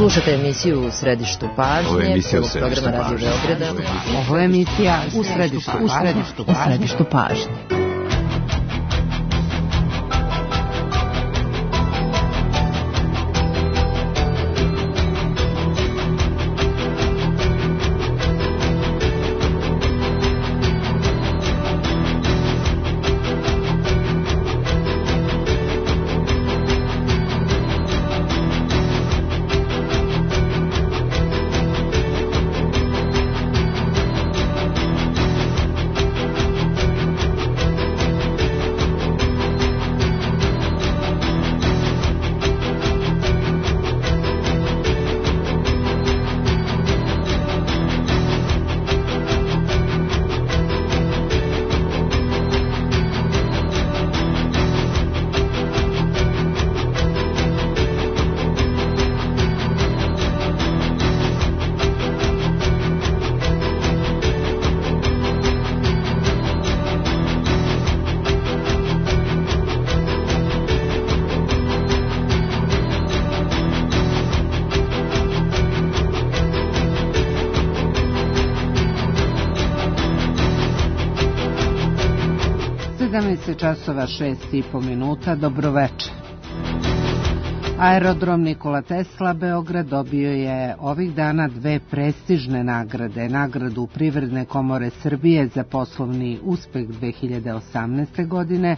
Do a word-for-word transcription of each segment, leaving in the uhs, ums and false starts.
Slušate emisiju U središtu pažnje. Ovo je emisija U središtu pažnje. Ovo je emisija U središtu pažnje. sedamnaest časova šest i po minuta, dobroveče. Aerodrom Nikola Tesla Beograd dobio je ovih dana dve prestižne nagrade. Nagradu Privredne komore Srbije za poslovni uspeh dve hiljade osamnaeste. godine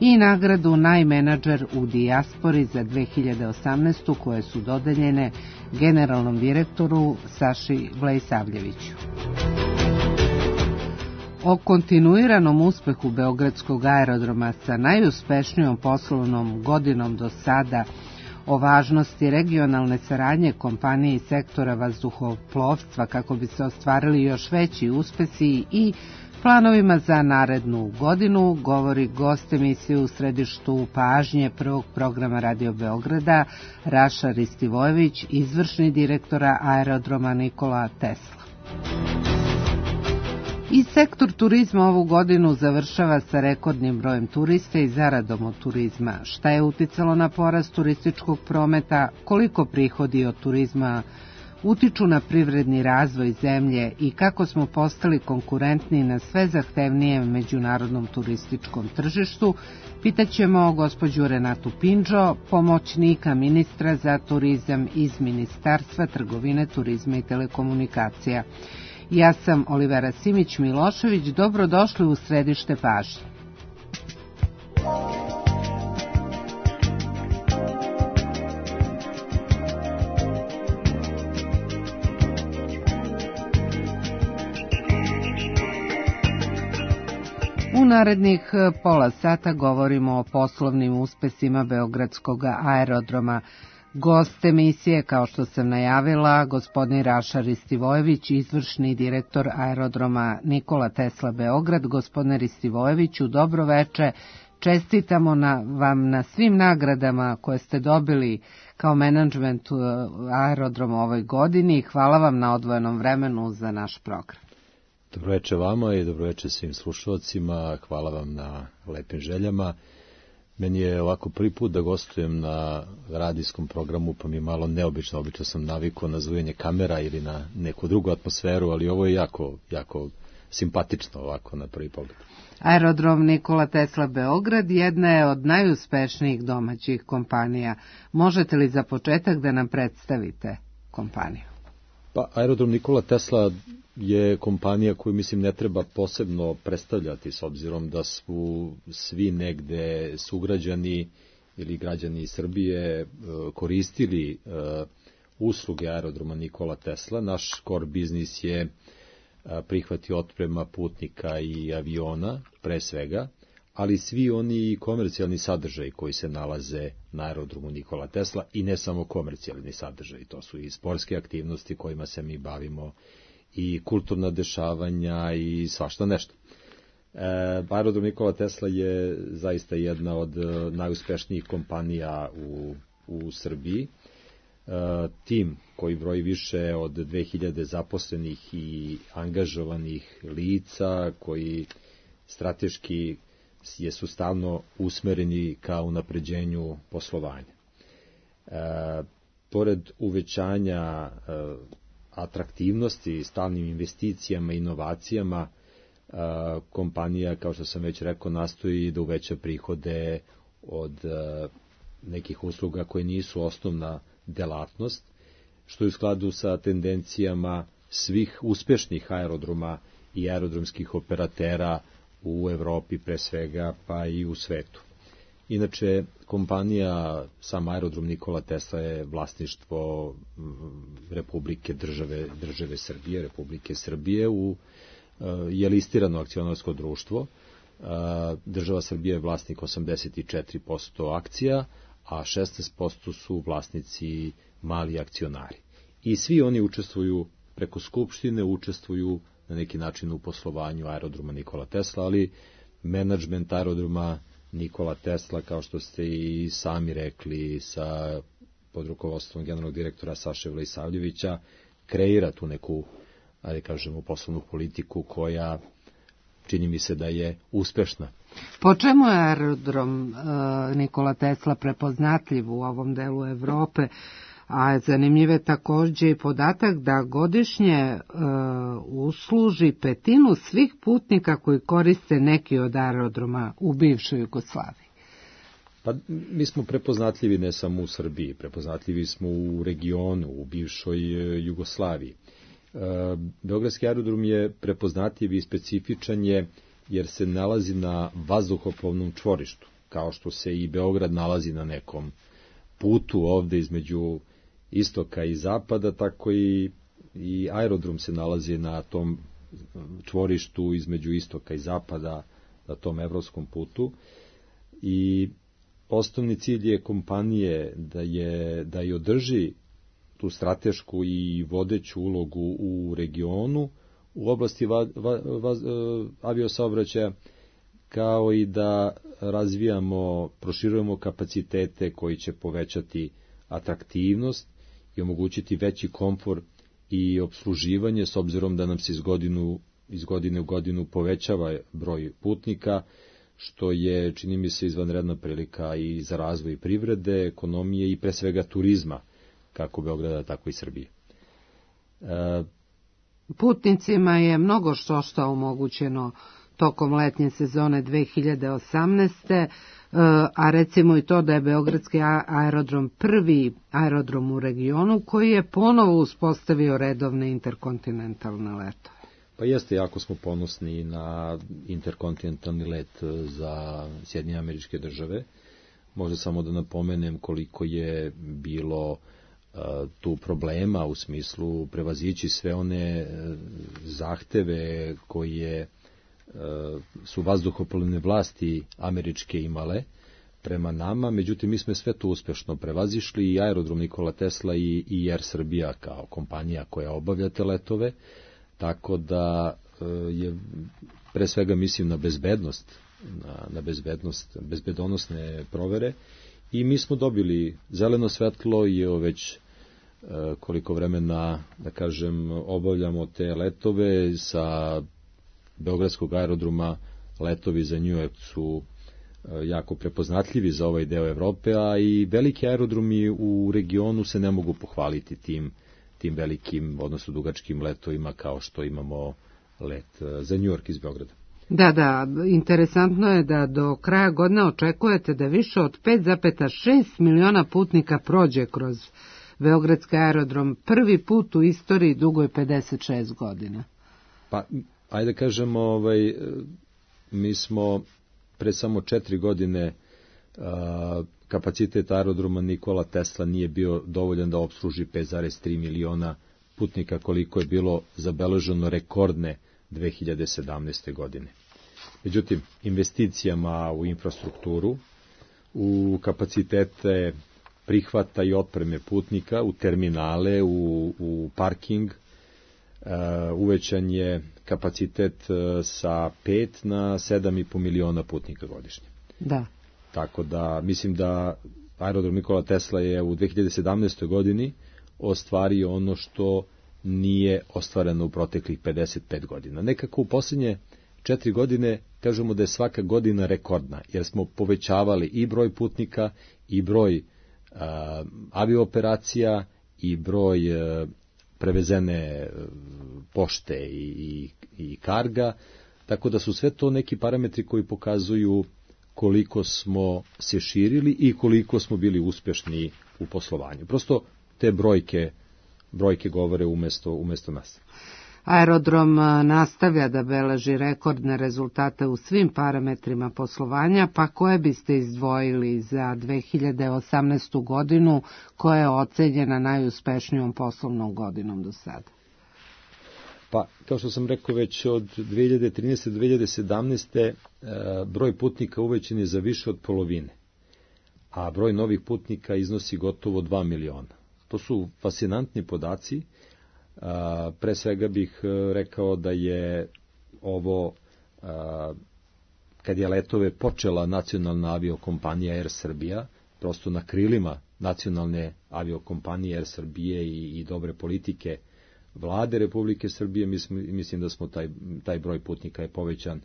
i nagradu Najmenadžer u dijaspori za dve hiljade osamnaestu. koje su dodeljene generalnom direktoru Saši Vlajsavljeviću. O kontinuiranom uspehu Beogradskog aerodroma sa najuspešnijom poslovnom godinom do sada, o važnosti regionalne saradnje kompanije i sektora vazduhoplovstva kako bi se ostvarili još veći uspesi i planovima za narednu godinu, govori gost emisije U središtu pažnje prvog programa Radio Beograda, Raša Ristivojević, izvršni direktora aerodroma Nikola Tesla. I sektor turizma ovu godinu završava sa rekordnim brojem turista i zaradom od turizma. Šta je uticalo na porast turističkog prometa, koliko prihodi od turizma utiču na privredni razvoj zemlje i kako smo postali konkurentni na sve zahtevnijem međunarodnom turističkom tržištu, pitaćemo gospođu Renatu Pindžo, pomoćnika ministra za turizam iz Ministarstva trgovine, turizma i telekomunikacija. Ja sam Olivera Simić-Milošević, dobrodošli u središte pažnje. U narednih pola sata govorimo o poslovnim uspesima Beogradskog aerodroma. Gost emisije, kao što sam najavila, gospodin Raša Ristivojević, izvršni direktor aerodroma Nikola Tesla Beograd. Gospodine Ristivojeviću, dobro veče. Čestitamo na, vam na svim nagradama koje ste dobili kao menadžment aerodroma ovoj godini. Hvala vam na odvojenom vremenu za naš program. Dobro veče vama i dobro veče svim slušalcima. Hvala vam na lepim željama. Meni je ovako prvi put da gostujem na radijskom programu, pa mi je malo neobično. Obično sam navikao na zvujanje kamera ili na neku drugu atmosferu, ali ovo je jako, jako simpatično ovako na prvi pogled. Aerodrom Nikola Tesla Beograd jedna je od najuspešnijih domaćih kompanija. Možete li za početak da nam predstavite kompaniju? Pa, Aerodrom Nikola Tesla je kompanija koju, mislim, ne treba posebno predstavljati, s obzirom da su svi negde sugrađani ili građani Srbije koristili usluge aerodroma Nikola Tesla. Naš core biznis je prihvati otprema putnika i aviona, pre svega, ali svi oni komercijalni sadržaji koji se nalaze na aerodromu Nikola Tesla, i ne samo komercijalni sadržaji, to su i sportske aktivnosti kojima se mi bavimo, i kulturna dešavanja i svašta nešto. E, aerodrom Nikola Tesla je zaista jedna od najuspešnijih kompanija u, u Srbiji. E, tim koji broji više od dve hiljade zaposlenih i angažovanih lica, koji strateški je sustavno usmereni ka unapređenju poslovanja. E, pored uvećanja e, atraktivnosti, stalnim investicijama, inovacijama, e, kompanija, kao što sam već rekao, nastoji da uveća prihode od e, nekih usluga koje nisu osnovna delatnost, što je u skladu sa tendencijama svih uspešnih aerodroma i aerodromskih operatera u Evropi pre svega, pa i u svetu. Inače, kompanija, sam aerodrom Nikola Tesla je vlasništvo Republike države, države Srbije, Republike Srbije, u, je listirano akcionarsko društvo. Država Srbije je vlasnik osamdeset četiri posto akcija, a šesnaest posto su vlasnici mali akcionari. I svi oni učestvuju preko skupštine, učestvuju na neki način u poslovanju aerodroma Nikola Tesla, ali menadžment aerodroma Nikola Tesla, kao što ste i sami rekli, sa pod rukovodstvom generalnog direktora Saše Vlisavljevića, kreira tu neku, ajde kažemo, poslovnu politiku koja čini mi se da je uspešna. Po čemu je aerodrom uh, Nikola Tesla prepoznatljiv u ovom delu Evrope? A zanimljiv je također i podatak da godišnje uh, usluži petinu svih putnika koji koriste neki od aerodroma u bivšoj Jugoslaviji. Pa mi smo prepoznatljivi ne samo u Srbiji, prepoznatljivi smo u regionu, u bivšoj Jugoslaviji. Uh, Beogradski aerodrom je prepoznatljiv i specifičan je jer se nalazi na vazduhoplovnom čvorištu, kao što se i Beograd nalazi na nekom putu ovde između istoka i zapada, tako i, i aerodrom se nalazi na tom čvorištu između istoka i zapada, na tom evropskom putu. I osnovni cilj je kompanije da je da je održi tu stratešku i vodeću ulogu u regionu u oblasti va, va, va, aviosaobraćaja, kao i da razvijamo, proširujemo kapacitete koji će povećati atraktivnost i omogućiti veći komfor i obsluživanje, s obzirom da nam se iz, godinu, iz godine u godinu povećava broj putnika, što je, čini mi se, izvanredna prilika i za razvoj privrede, ekonomije i pre svega turizma, kako Beograda, tako i Srbije. E... Putnicima je mnogo što što omogućeno tokom letnje sezone dve hiljade osamnaeste. A recimo i to da je Beogradski aerodrom prvi aerodrom u regionu koji je ponovo uspostavio redovne interkontinentalne letove. Pa jeste, jako smo ponosni na interkontinentalni let za Sjedinjene Američke Države. Možda samo da napomenem koliko je bilo uh, tu problema u smislu prevazići sve one uh, zahteve koje su vazduhoplovne vlasti američke imale prema nama, međutim mi smo sve to uspešno prevazišli, i aerodrom Nikola Tesla i, i Air Srbija kao kompanija koja obavlja te letove, tako da je pre svega mislim na bezbednost, na, na bezbednost, bezbedonosne provere, i mi smo dobili zeleno svetlo i evo već koliko vremena, da kažem, obavljamo te letove sa Beogradskog aerodroma. Letovi za New York su jako prepoznatljivi za ovaj deo Evrope, a i veliki aerodromi u regionu se ne mogu pohvaliti tim, tim velikim, odnosno dugačkim letovima kao što imamo let za New York iz Beograda. Da, da, interesantno je da do kraja godine očekujete da više od pet zarez šest miliona putnika prođe kroz Beogradski aerodrom, prvi put u istoriji dugoj pedeset šest godina. Pa, ajde kažemo, ovaj, mi smo pre samo četiri godine a, kapacitet aerodroma Nikola Tesla nije bio dovoljan da opsluži pet zarez tri miliona putnika, koliko je bilo zabeleženo rekordne dve hiljade sedamnaeste. godine. Međutim, investicijama u infrastrukturu, u kapacitete prihvata i otpreme putnika, u terminale, u, u parking, uh, uvećan je kapacitet uh, sa pet na sedam i po miliona putnika godišnje. Da. Tako da, mislim da aerodrom Nikola Tesla je u dve hiljade sedamnaestoj. godini ostvario ono što nije ostvareno u proteklih pedeset pet godina. Nekako u posljednje četiri godine kažemo da je svaka godina rekordna, jer smo povećavali i broj putnika i broj aviooperacija i broj prevezene pošte i, i, i karga, tako da su sve to neki parametri koji pokazuju koliko smo se širili i koliko smo bili uspešni u poslovanju. Prosto te brojke, brojke govore umesto, umesto nas. Aerodrom nastavlja da beleži rekordne rezultate u svim parametrima poslovanja, pa koje biste izdvojili za dve hiljade osamnaestu godinu, koja je ocenjena najuspešnijom poslovnom godinom do sada? Pa, kao što sam rekao, već od dve hiljade trinaeste do dve hiljade sedamnaeste. broj putnika uvećan je za više od polovine, a broj novih putnika iznosi gotovo dva miliona. To su fascinantni podaci. Pre svega bih rekao da je ovo, kad je letove počela nacionalna aviokompanija Air Srbija, prosto na krilima nacionalne aviokompanije Air Srbije i, i dobre politike vlade Republike Srbije, mislim, mislim da smo taj, taj broj putnika je povećan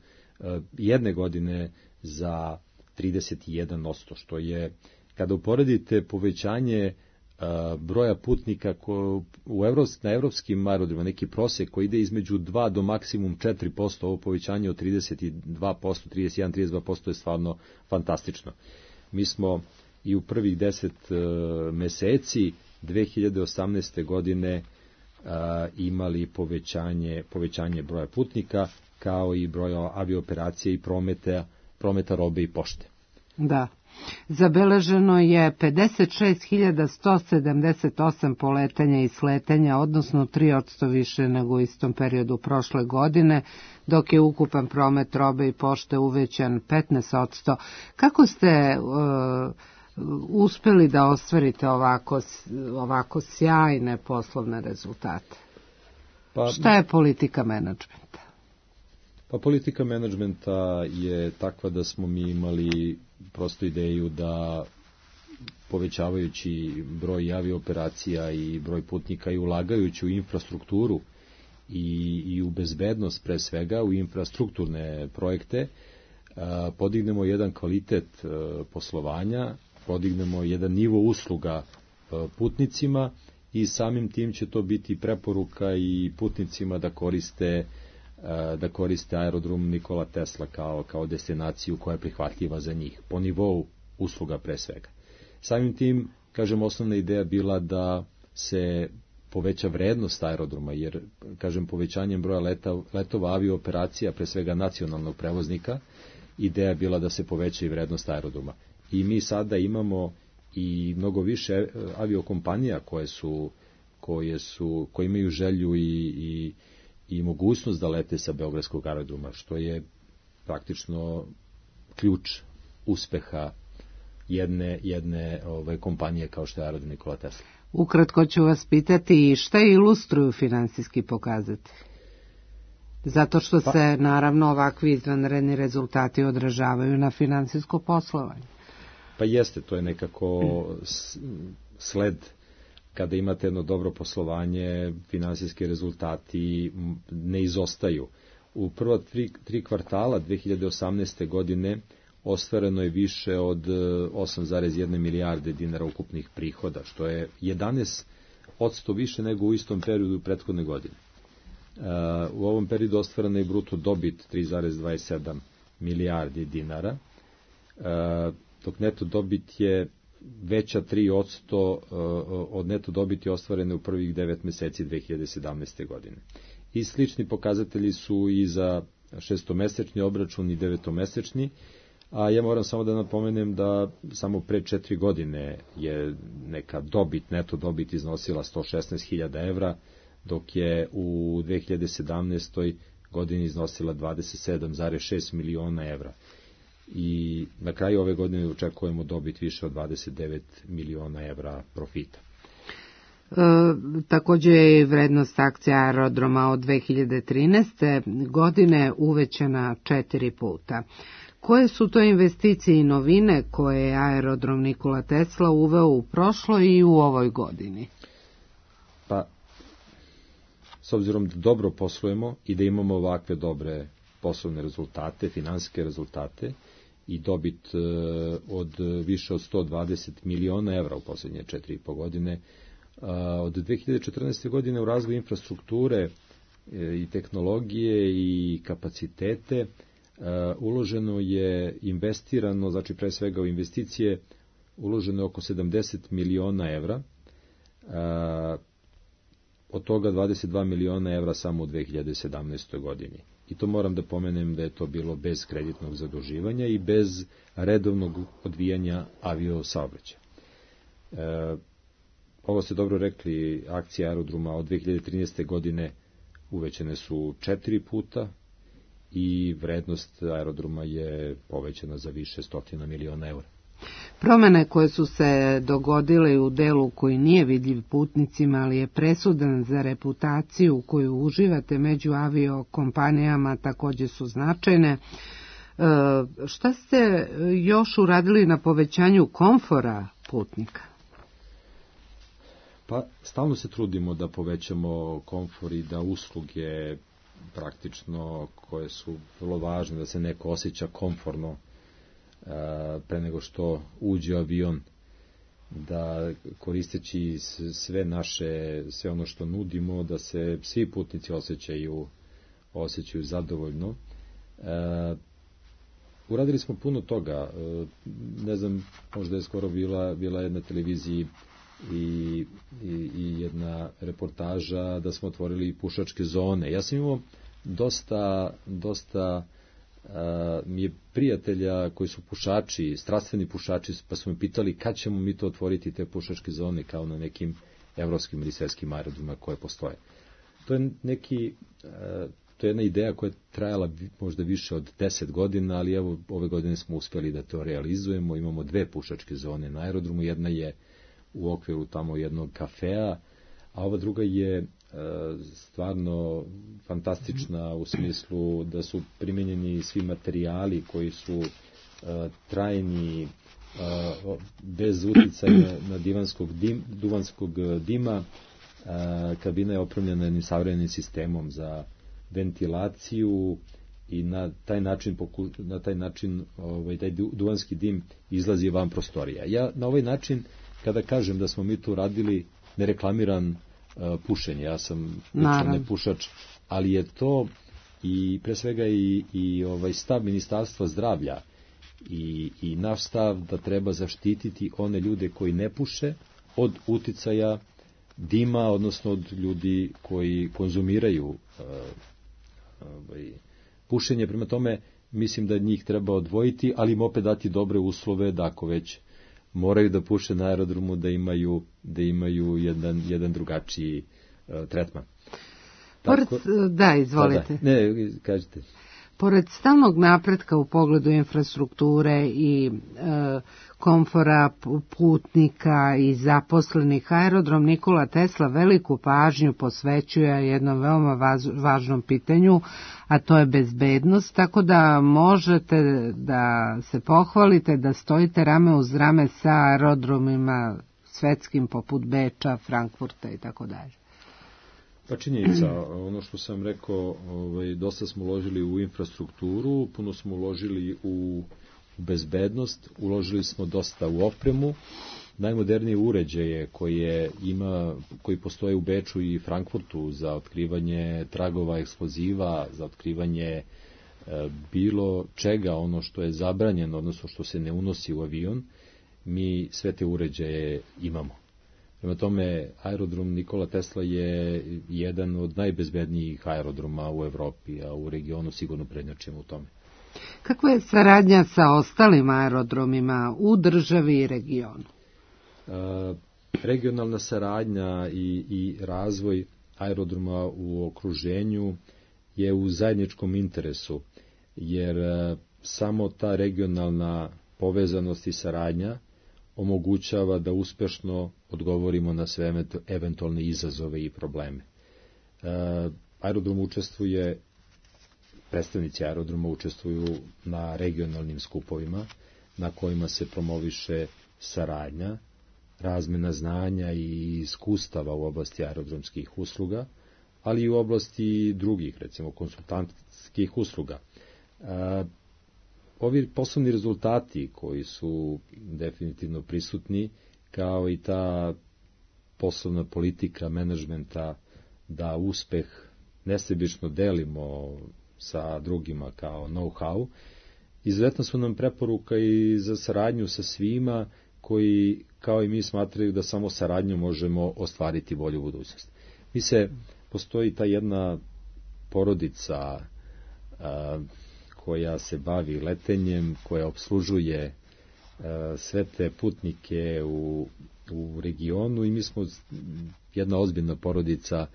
jedne godine za trideset jedan posto, što je, kada uporedite povećanje broja putnika ko, u Evrops, na evropskim aerodromima, neki prosek koji ide između dva do maksimum četiri posto, ovo povećanje od trideset dva posto, trideset jedan do trideset dva posto je stvarno fantastično. Mi smo i u prvih deset uh, meseci dve hiljade osamnaeste. godine uh, imali povećanje, povećanje broja putnika, kao i broja aviooperacije i prometa, prometa robe i pošte. Da. Zabeleženo je pedeset šest hiljada sto sedamdeset osam poletanja i sletanja, odnosno tri posto više nego u istom periodu prošle godine, dok je ukupan promet robe i pošte uvećan petnaest posto. Kako ste uh, uspeli da ostvarite ovako, ovako sjajne poslovne rezultate? Pa, šta je politika menadžmenta? Pa politika menadžmenta je takva da smo mi imali prosto ideju da povećavajući broj aviooperacija i broj putnika i ulagajući u infrastrukturu i, i u bezbednost, pre svega u infrastrukturne projekte, a, podignemo jedan kvalitet a, poslovanja, podignemo jedan nivo usluga a, putnicima i samim tim će to biti preporuka i putnicima da koriste da koriste aerodrom Nikola Tesla kao, kao destinaciju koja je prihvatljiva za njih, po nivou usluga pre svega. Samim tim, kažem, osnovna ideja bila da se poveća vrednost aerodroma, jer, kažem, povećanjem broja leta, letova aviooperacija, pre svega nacionalnog prevoznika, ideja je bila da se poveća i vrednost aerodroma. I mi sada imamo i mnogo više aviokompanija koje su, koje su, koje imaju želju i, i i mogućnost da lete sa beogradskog aerodroma, što je praktično ključ uspeha jedne, jedne ove, kompanije kao što je aerodrom Nikola Tesla. Ukratko ću vas pitati šta ilustruju finansijski pokazatelji? Zato što pa, se naravno ovakvi izvanredni rezultati odražavaju na finansijsko poslovanje. Pa jeste, to je nekako sled. Kada imate jedno dobro poslovanje, finansijski rezultati ne izostaju. U prva tri, tri kvartala dve hiljade osamnaeste. godine ostvareno je više od osam zarez jedna milijarde dinara ukupnih prihoda, što je jedanaest posto više nego u istom periodu prethodne godine. U ovom periodu ostvarena je bruto dobit tri zarez dvadeset sedam milijardi dinara, dok neto dobit je veća tri posto od neto dobiti ostvarene u prvih devet meseci dve hiljade sedamnaeste. godine. I slični pokazatelji su i za šestomesečni obračun i devetomesečni, a ja moram samo da napomenem da samo pre četiri godine je neka dobit, neto dobit iznosila sto šesnaest hiljada evra, dok je u dve hiljade sedamnaestoj. godini iznosila dvadeset sedam zarez šest miliona evra. I na kraju ove godine očekujemo dobit više od dvadeset devet miliona evra profita. E, također je vrednost akcija aerodroma od dve hiljade trinaeste. godine uvećana četiri puta. Koje su to investicije i novine koje je aerodrom Nikola Tesla uveo u prošloj i u ovoj godini? Pa, s obzirom da dobro poslujemo i da imamo ovakve dobre poslovne rezultate, finansijske rezultate, i dobit od više od sto dvadeset miliona evra u posljednje četiri i po godine. Od dve hiljade četrnaeste. godine u razvoj infrastrukture i tehnologije i kapacitete uloženo je, investirano, znači pre svega u investicije, uloženo je oko sedamdeset miliona evra, od toga dvadeset dva miliona evra samo u dve hiljade sedamnaestoj. godini. I to moram da pomenem da je to bilo bez kreditnog zaduživanja i bez redovnog odvijanja aviosaobraćaja. E, ovo ste dobro rekli, akcije aerodroma od dve hiljade trinaeste. godine uvećane su četiri puta i vrednost aerodroma je povećana za više stotina miliona evra. Promene koje su se dogodile u delu koji nije vidljiv putnicima, ali je presudan za reputaciju koju uživate među aviokompanijama, također su značajne. E, šta ste još uradili na povećanju komfora putnika? Pa stalno se trudimo da povećamo komfor i da usluge praktično koje su vrlo važne, da se neko osjeća komforno pre nego što uđe avion, da koristeći sve naše, sve ono što nudimo, da se svi putnici osjećaju, osjećaju zadovoljno. E, uradili smo puno toga. E, ne znam, možda je skoro bila, bila jedna televiziji i, i, i jedna reportaža da smo otvorili pušačke zone. Ja sam imao dosta, dosta Uh, mi je prijatelja koji su pušači, strastveni pušači, pa su me pitali kad ćemo mi to otvoriti, te pušačke zone, kao na nekim evropskim ili svetskim aerodromima koje postoje. To je neki, uh, to je jedna ideja koja je trajala možda više od deset godina, ali evo ove godine smo uspjeli da to realizujemo. Imamo dve pušačke zone na aerodromu, jedna je u okviru tamo jednog kafea, a ova druga je stvarno fantastična u smislu da su primjenjeni svi materijali koji su trajni, bez uticaja na divanskog, dim, duvanskog dima. Kabina je opremljena jednim savremenim sistemom za ventilaciju i na taj način, na taj način ovaj, taj duvanski dim izlazi van prostorija. Ja na ovaj način, kada kažem da smo mi tu radili, ne reklamiram pušenje, ja sam lično ne pušač, ali je to i pre svega i, i ovaj stav Ministarstva zdravlja i, i naš stav da treba zaštititi one ljude koji ne puše od uticaja dima, odnosno od ljudi koji konzumiraju uh, ovaj, pušenje. Prema tome, mislim da njih treba odvojiti, ali im opet dati dobre uslove da ako već moraju da puše na aerodromu, da imaju, da imaju jedan, jedan drugačiji uh, tretman. Pored, Tako, da, izvolite. Da, da, ne, kažete. Pored stalnog napretka u pogledu infrastrukture i e, komfora putnika i zaposlenih, aerodrom Nikola Tesla veliku pažnju posvećuje jednom veoma vaz, važnom pitanju, a to je bezbednost, tako da možete da se pohvalite da stojite rame uz rame sa aerodromima svetskim poput Beča, Frankfurta i tako dalje. Pa činjenica, ono što sam rekao, ovaj, dosta smo uložili u infrastrukturu, puno smo uložili u bezbednost, uložili smo dosta u opremu, najmodernije uređaje koje ima, koji postoje u Beču i Frankfurtu za otkrivanje tragova eksploziva, za otkrivanje e, bilo čega, ono što je zabranjeno, odnosno što se ne unosi u avion, mi sve te uređaje imamo. Prema tome, aerodrom Nikola Tesla je jedan od najbezbednijih aerodroma u Evropi, a u regionu sigurno prednjačimo u tome. Kakva je saradnja sa ostalim aerodromima u državi i regionu? E, regionalna saradnja i, i razvoj aerodroma u okruženju je u zajedničkom interesu, jer e, samo ta regionalna povezanost i saradnja omogućava da uspešno odgovorimo na sve eventualne izazove i probleme. E, aerodrom učestvuje, predstavnici aerodroma učestvuju na regionalnim skupovima na kojima se promoviše saradnja, razmena znanja i iskustava u oblasti aerodromskih usluga, ali i u oblasti drugih, recimo konsultantskih usluga. E, ovi poslovni rezultati koji su definitivno prisutni, kao i ta poslovna politika menadžmenta da uspeh nesebično delimo sa drugima kao know-how, izuzetno su nam preporuka i za saradnju sa svima koji, kao i mi, smatraju da samo saradnjom možemo ostvariti bolju budućnost. Mi se, postoji ta jedna porodica a, koja se bavi letenjem, koja obslužuje a, sve te putnike u, u regionu, i mi smo jedna ozbiljna porodica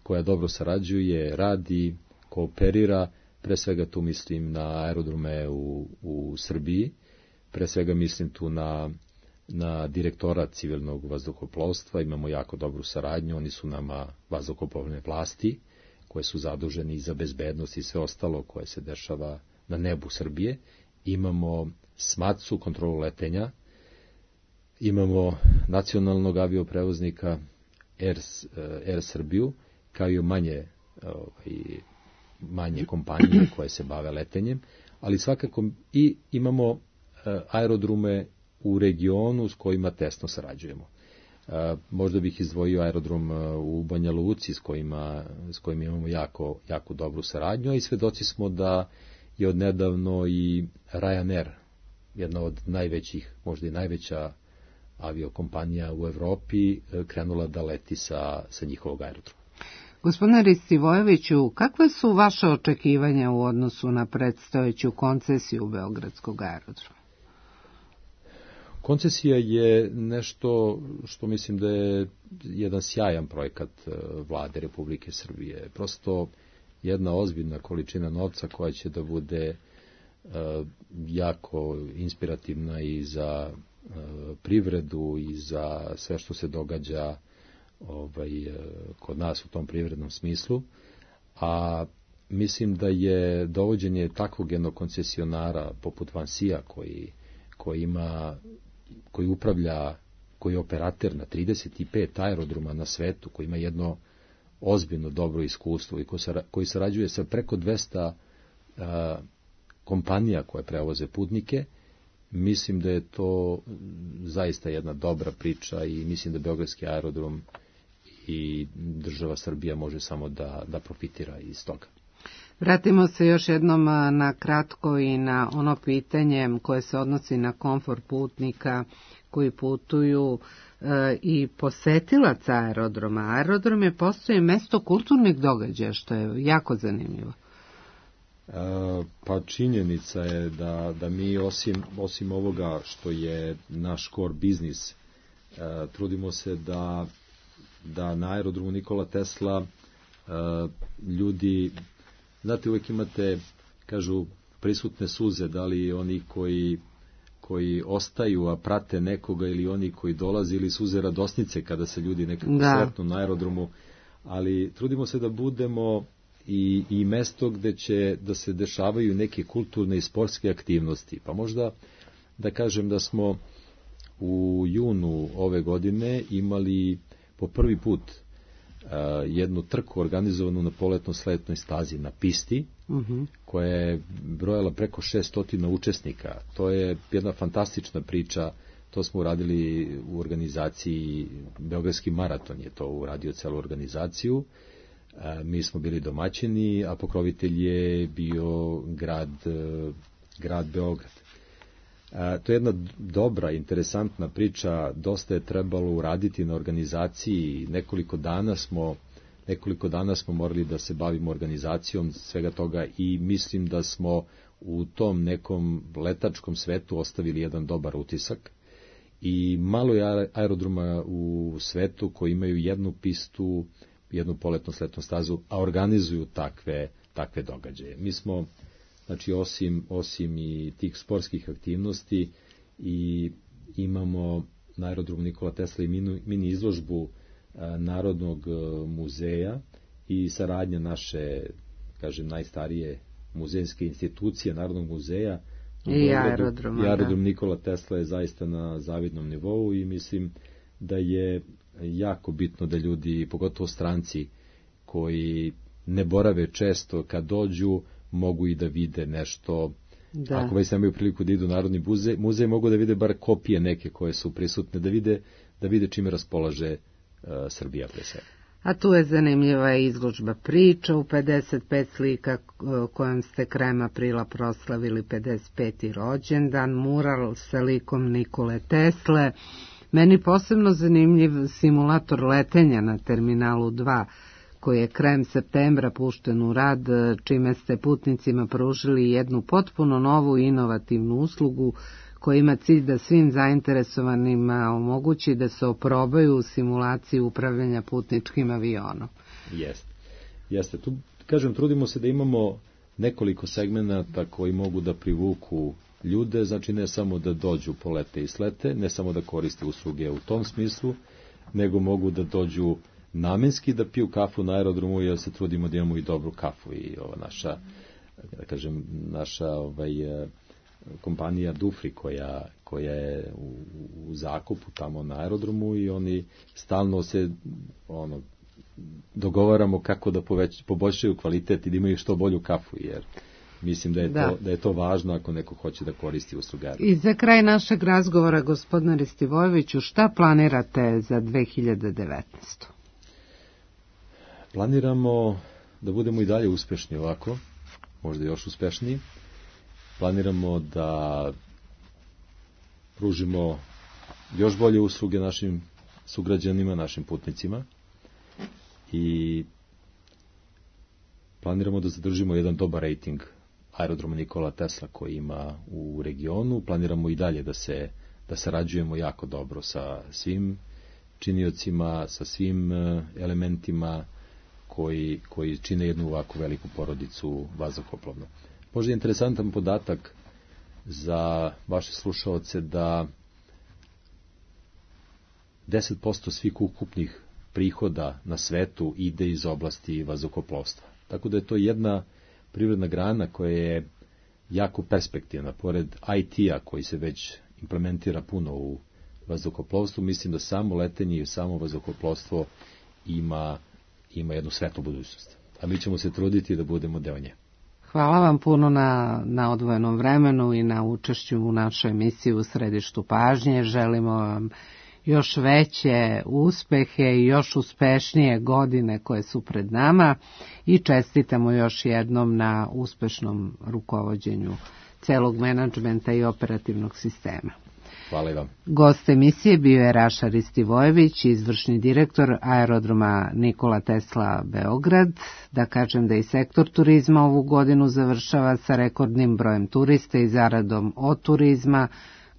koja dobro sarađuje, radi, kooperira. Pre svega tu mislim na aerodrome u, u Srbiji, pre svega mislim tu na, na direktora civilnog vazduhoplovstva, imamo jako dobru saradnju, oni su nama vazduhoplovne vlasti, koje su zaduženi za bezbednost i sve ostalo koje se dešava na nebu Srbije. Imamo SMATS-u, kontrolu letenja, imamo nacionalnog avioprevoznika Air, Air Srbiju, kao i manje ovaj, manje kompanije koje se bave letenjem, ali svakako i imamo aerodrome u regionu s kojima tesno sarađujemo. Možda bih izdvojio aerodrom u Banja Luci s kojima, s kojima imamo jako, jako dobru saradnju, a i svedoci smo da je odnedavno i Ryanair, jedna od najvećih, možda i najveća aviokompanija u Evropi, krenula da leti sa, sa njihovog aerodroma. Gospodine Ristivojeviću, kakve su vaše očekivanja u odnosu na predstojeću koncesiju Beogradskog aerodroma? Koncesija je nešto što mislim da je jedan sjajan projekat Vlade Republike Srbije. Prosto jedna ozbiljna količina novca koja će da bude jako inspirativna i za privredu i za sve što se događa ovaj, kod nas u tom privrednom smislu, a mislim da je dovođenje takvog jednog koncesionara poput Vansija koji, koji ima, koji upravlja, koji je operater na trideset pet aerodroma na svetu, koji ima jedno ozbiljno dobro iskustvo i koji sarađuje sa preko dvesta a, kompanija koje prevoze putnike, mislim da je to zaista jedna dobra priča i mislim da Beogradski aerodrom i država Srbija može samo da, da profitira iz toga. Vratimo se još jednom na kratko i na ono pitanje koje se odnosi na komfort putnika koji putuju e, i posetilaca aerodroma. Aerodrom je postoji mesto kulturnih događaja, što je jako zanimljivo. E, pa činjenica je da, da mi osim, osim ovoga što je naš core biznis, e, trudimo se da da na aerodromu Nikola Tesla uh, ljudi, znate, uvijek imate, kažu, prisutne suze, da li oni koji, koji ostaju, a prate nekoga, ili oni koji dolaze, ili suze radosnice kada se ljudi nekako sretnu na aerodromu, ali trudimo se da budemo i, i mesto gde će da se dešavaju neke kulturne i sportske aktivnosti. Pa možda da kažem da smo u junu ove godine imali po prvi put uh, jednu trku organizovanu na poletno-sletnoj stazi na pisti, uh-huh. koja je brojala preko šesto učesnika. To je jedna fantastična priča, to smo uradili u organizaciji, Beogradski maraton je to uradio celu organizaciju, uh, mi smo bili domaćini, a pokrovitelj je bio grad, uh, grad Beograd. To je jedna dobra, interesantna priča, dosta je trebalo uraditi na organizaciji, nekoliko dana smo, nekoliko dana smo morali da se bavimo organizacijom svega toga i mislim da smo u tom nekom letačkom svetu ostavili jedan dobar utisak. I malo je aerodroma u svetu koji imaju jednu pistu, jednu poletno-sletnu stazu, a organizuju takve, takve događaje. Mi smo, znači, osim, osim i tih sportskih aktivnosti, i imamo na aerodromu Nikola Tesla i mini, mini izložbu a, Narodnog a, muzeja i saradnja naše, kažem, najstarije muzejske institucije Narodnog muzeja i aerodroma. I aerodrom da. Nikola Tesla je zaista na zavidnom nivou i mislim da je jako bitno da ljudi, pogotovo stranci koji ne borave često, kad dođu mogu i da vide nešto Da. Ako već nemaju priliku da idu u Narodni muzej, muzej mogu da vide bar kopije neke koje su prisutne, da vide, da vide čime raspolaže uh, Srbija pre svega. A tu je zanimljiva izložba priča u pedeset pet slika kojom ste krajem aprila proslavili pedeset peti rođendan, mural sa likom Nikole Tesle. Meni posebno zanimljiv simulator letenja na Terminalu dva, koji je krajem septembra pušten u rad, čime ste putnicima pružili jednu potpuno novu inovativnu uslugu koja ima cilj da svim zainteresovanima omogući da se oprobaju u simulaciji upravljanja putničkim avionom. Jeste. Jeste. Tu, kažem, trudimo se da imamo nekoliko segmenata koji mogu da privuku ljude, znači ne samo da dođu polete i slete, ne samo da koriste usluge u tom smislu, nego mogu da dođu namenski da piju kafu na aerodromu, jer se trudimo da imamo i dobru kafu i ova naša, da kažem, naša ovaj, kompanija Dufri koja, koja je u, u zakupu tamo na aerodromu i oni stalno se ono, dogovaramo kako da poveć, poboljšaju kvalitet i da imaju što bolju kafu, jer mislim da je, da. To, da je to važno ako neko hoće da koristi usluge. I za kraj našeg razgovora, gospodine Ristivojeviću, šta planirate za dve hiljade devetnaestu. Planiramo da budemo i dalje uspešni ovako, možda još uspešniji. Planiramo da pružimo još bolje usluge našim sugrađanima, našim putnicima i planiramo da zadržimo jedan dobar rating aerodroma Nikola Tesla koji ima u regionu. Planiramo i dalje da se da sarađujemo jako dobro sa svim činiocima, sa svim elementima koji, koji čine jednu ovako veliku porodicu vazduhoplovnu. Možda je interesantan podatak za vaše slušaoce da deset posto svih ukupnih prihoda na svetu ide iz oblasti vazduhoplovstva. Tako da je to jedna privredna grana koja je jako perspektivna. Pored I T-a koji se već implementira puno u vazduhoplovstvu, mislim da samo letenje i samo vazduhoplovstvo ima, ima jednu svetlu budućnost. A mi ćemo se truditi da budemo deo nje. Hvala vam puno na, na odvojenom vremenu i na učešću u našoj emisiji U središtu pažnje. Želimo vam još veće uspehe i još uspešnije godine koje su pred nama i čestitamo još jednom na uspešnom rukovođenju celog menadžmenta i operativnog sistema. Hvala i vam. Gost emisije bio je Raša Ristivojević, izvršni direktor aerodroma Nikola Tesla Beograd. Da kažem da i sektor turizma ovu godinu završava sa rekordnim brojem turista i zaradom od turizma,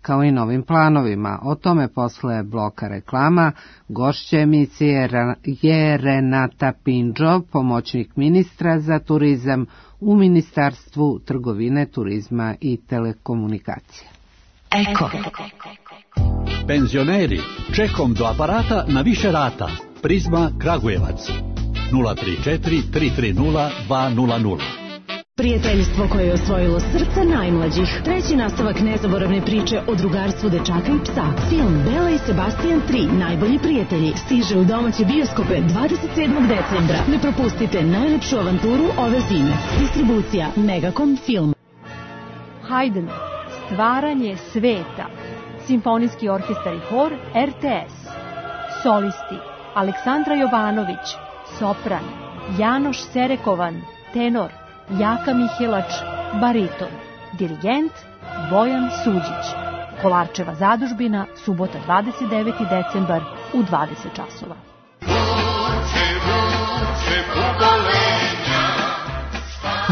kao i novim planovima. O tome posle bloka reklama. Gošća emisije je Renata Pinđo, pomoćnik ministra za turizam u Ministarstvu trgovine, turizma i telekomunikacije. Eko. Penzioneri, čekom do aparata na više rata. Prizma Kragujevac. nula tri četiri tri tri nula dva nula nula. Prijateljstvo koje je osvojilo srca najmlađih. Treći nastavak nezaboravne priče o drugarstvu dečaka i psa. Film Bela i Sebastian tri, najbolji prijatelji, stiže u domaće bioskope dvadeset sedmog decembra. Ne propustite najlepšu avanturu ove zime. Distribucija Megacom Film. Haydn, Stvaranje sveta. Simfonijski orkestar i hor R T S. Solisti Aleksandra Jovanović, sopran, Janoš Serekovan, tenor, Jaka Mihelač, bariton, dirigent Bojan Suđić. Kolarčeva zadužbina, subota dvadeset deveti decembar u dvadeset časova.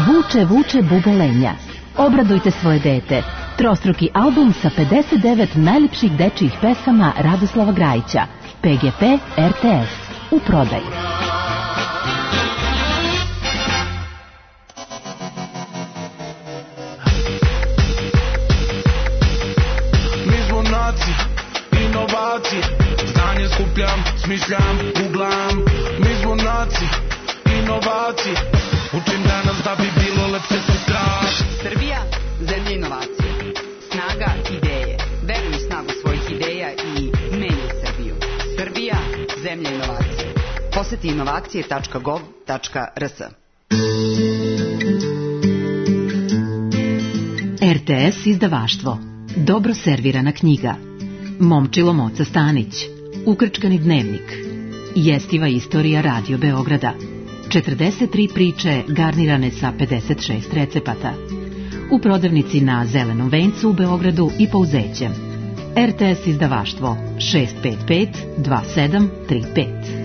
Vuče, vuče bubolenja. Obradujte svoje dete. Trostruki album sa pedeset devet najlepših dečijih pesama Radoslava Grajića. P G P R T S. U prodaju. Inovacije, znanje skupljam, smišljam, googlam. Mi smo naci, inovacije. Učim danas da bi bilo lepše sutra. Srbija, zemlja inovacije. Snaga ideje. Veruj u snagu svojih ideja i menjaj Srbiju. Srbija, zemlja inovacije. Poseti inovacije tačka gov tačka r s. R T S izdavaštvo. Dobro servirana knjiga. Momčilo Moca Stanić. Ukrčkani dnevnik. Jestiva istorija Radio Beograda. četrdeset tri priče garnirane sa pedeset šest recepata. U prodavnici na Zelenom vencu u Beogradu i Pouzećem. R T S izdavaštvo šest pet pet dva sedam tri pet.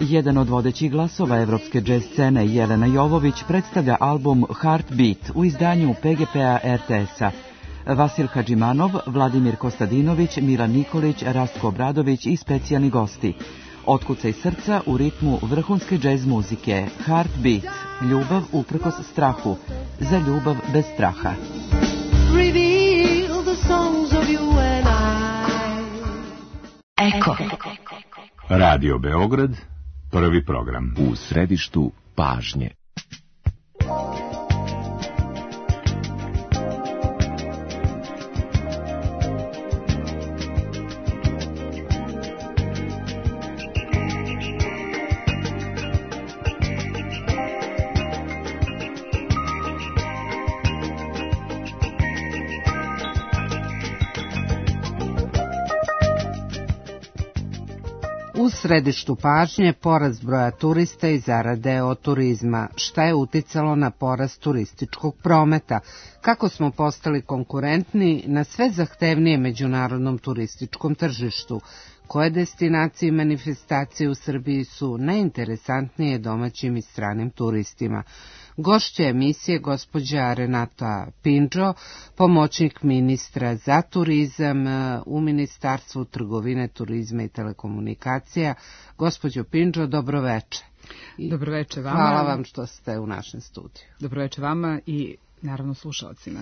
Jedan od vodećih glasova evropske džez scene, Jelena Jovović, predstavlja album Heartbeat u izdanju P G P-a R T S-a. Vasil Hadžimanov, Vladimir Kostadinović, Milan Nikolić, Rastko Obradović i specijalni gosti. Otkucaj srca u ritmu vrhunske džez muzike. Heartbeat, ljubav uprkos strahu, za ljubav bez straha. Eko. Radio Beograd, prvi program. U središtu pažnje. U središtu pažnje porast broja turista i zarade od turizma. Šta je uticalo na porast turističkog prometa? Kako smo postali konkurentni na sve zahtevnije međunarodnom turističkom tržištu? Koje destinacije i manifestacije u Srbiji su najinteresantnije domaćim i stranim turistima? Gošća emisije gospođa Renata Pindžo, pomoćnik ministra za turizam u Ministarstvu trgovine, turizma i telekomunikacija. Gospođo Pindžo, dobroveče. Dobroveče vama. Hvala vam što ste u našem studiju. Dobroveče vama i naravno slušalcima.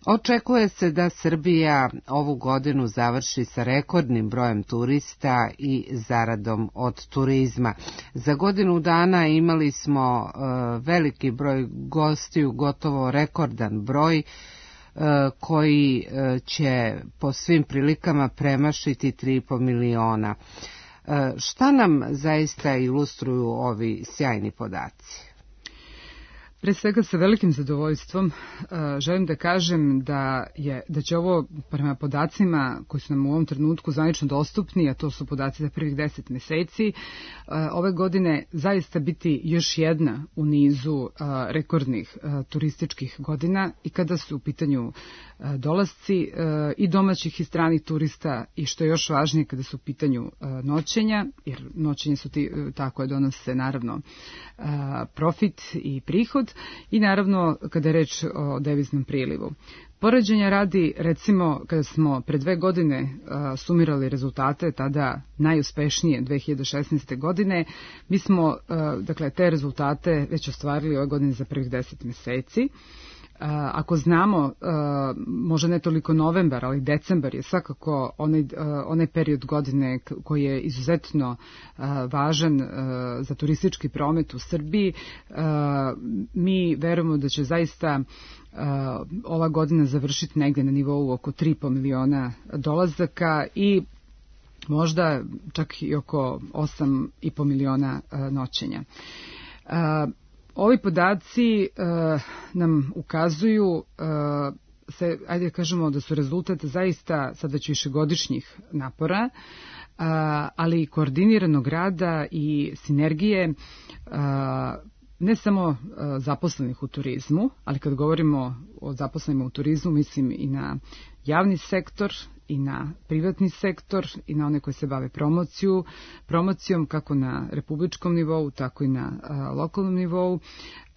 Očekuje se da Srbija ovu godinu završi sa rekordnim brojem turista i zaradom od turizma. Za godinu dana imali smo uh, veliki broj gostiju, gotovo rekordan broj, uh, koji uh, će po svim prilikama premašiti tri i po miliona. Uh, šta nam zaista ilustruju ovi sjajni podaci? Pre svega sa velikim zadovoljstvom uh, želim da kažem da, je, da će ovo prema podacima koji su nam u ovom trenutku zvanično dostupni, a to su podaci za prvih deset meseci, uh, ove godine zaista biti još jedna u nizu uh, rekordnih uh, turističkih godina i kada su u pitanju uh, dolasci uh, i domaćih i stranih turista i što je još važnije kada su u pitanju uh, noćenja, jer noćenje su ti, uh, tako je donose naravno uh, profit i prihod. I naravno kada je reč o deviznom prilivu. Poređenja radi, recimo, kada smo pre dve godine uh, sumirali rezultate, tada najuspešnije dve hiljade šesnaeste. godine, mi smo uh, dakle, te rezultate već ostvarili ove godine za prvih deset meseci. Uh, ako znamo, uh, možda ne toliko novembar, ali decembar je svakako onaj, uh, onaj period godine koji je izuzetno uh, važan uh, za turistički promet u Srbiji. Uh, mi verujemo da će zaista uh, ova godina završiti negde na nivou oko tri i po miliona dolazaka i možda čak i oko osam i po miliona uh, noćenja. Uh, Ovi podaci uh, nam ukazuju, uh, se, ajde da kažemo da su rezultat zaista sad već višegodišnjih napora, uh, ali i koordiniranog rada i sinergije uh, ne samo uh, zaposlenih u turizmu, ali kad govorimo o zaposlenima u turizmu mislim i na javni sektor, i na privatni sektor i na one koji se bave promociju, promocijom kako na republičkom nivou, tako i na a, lokalnom nivou.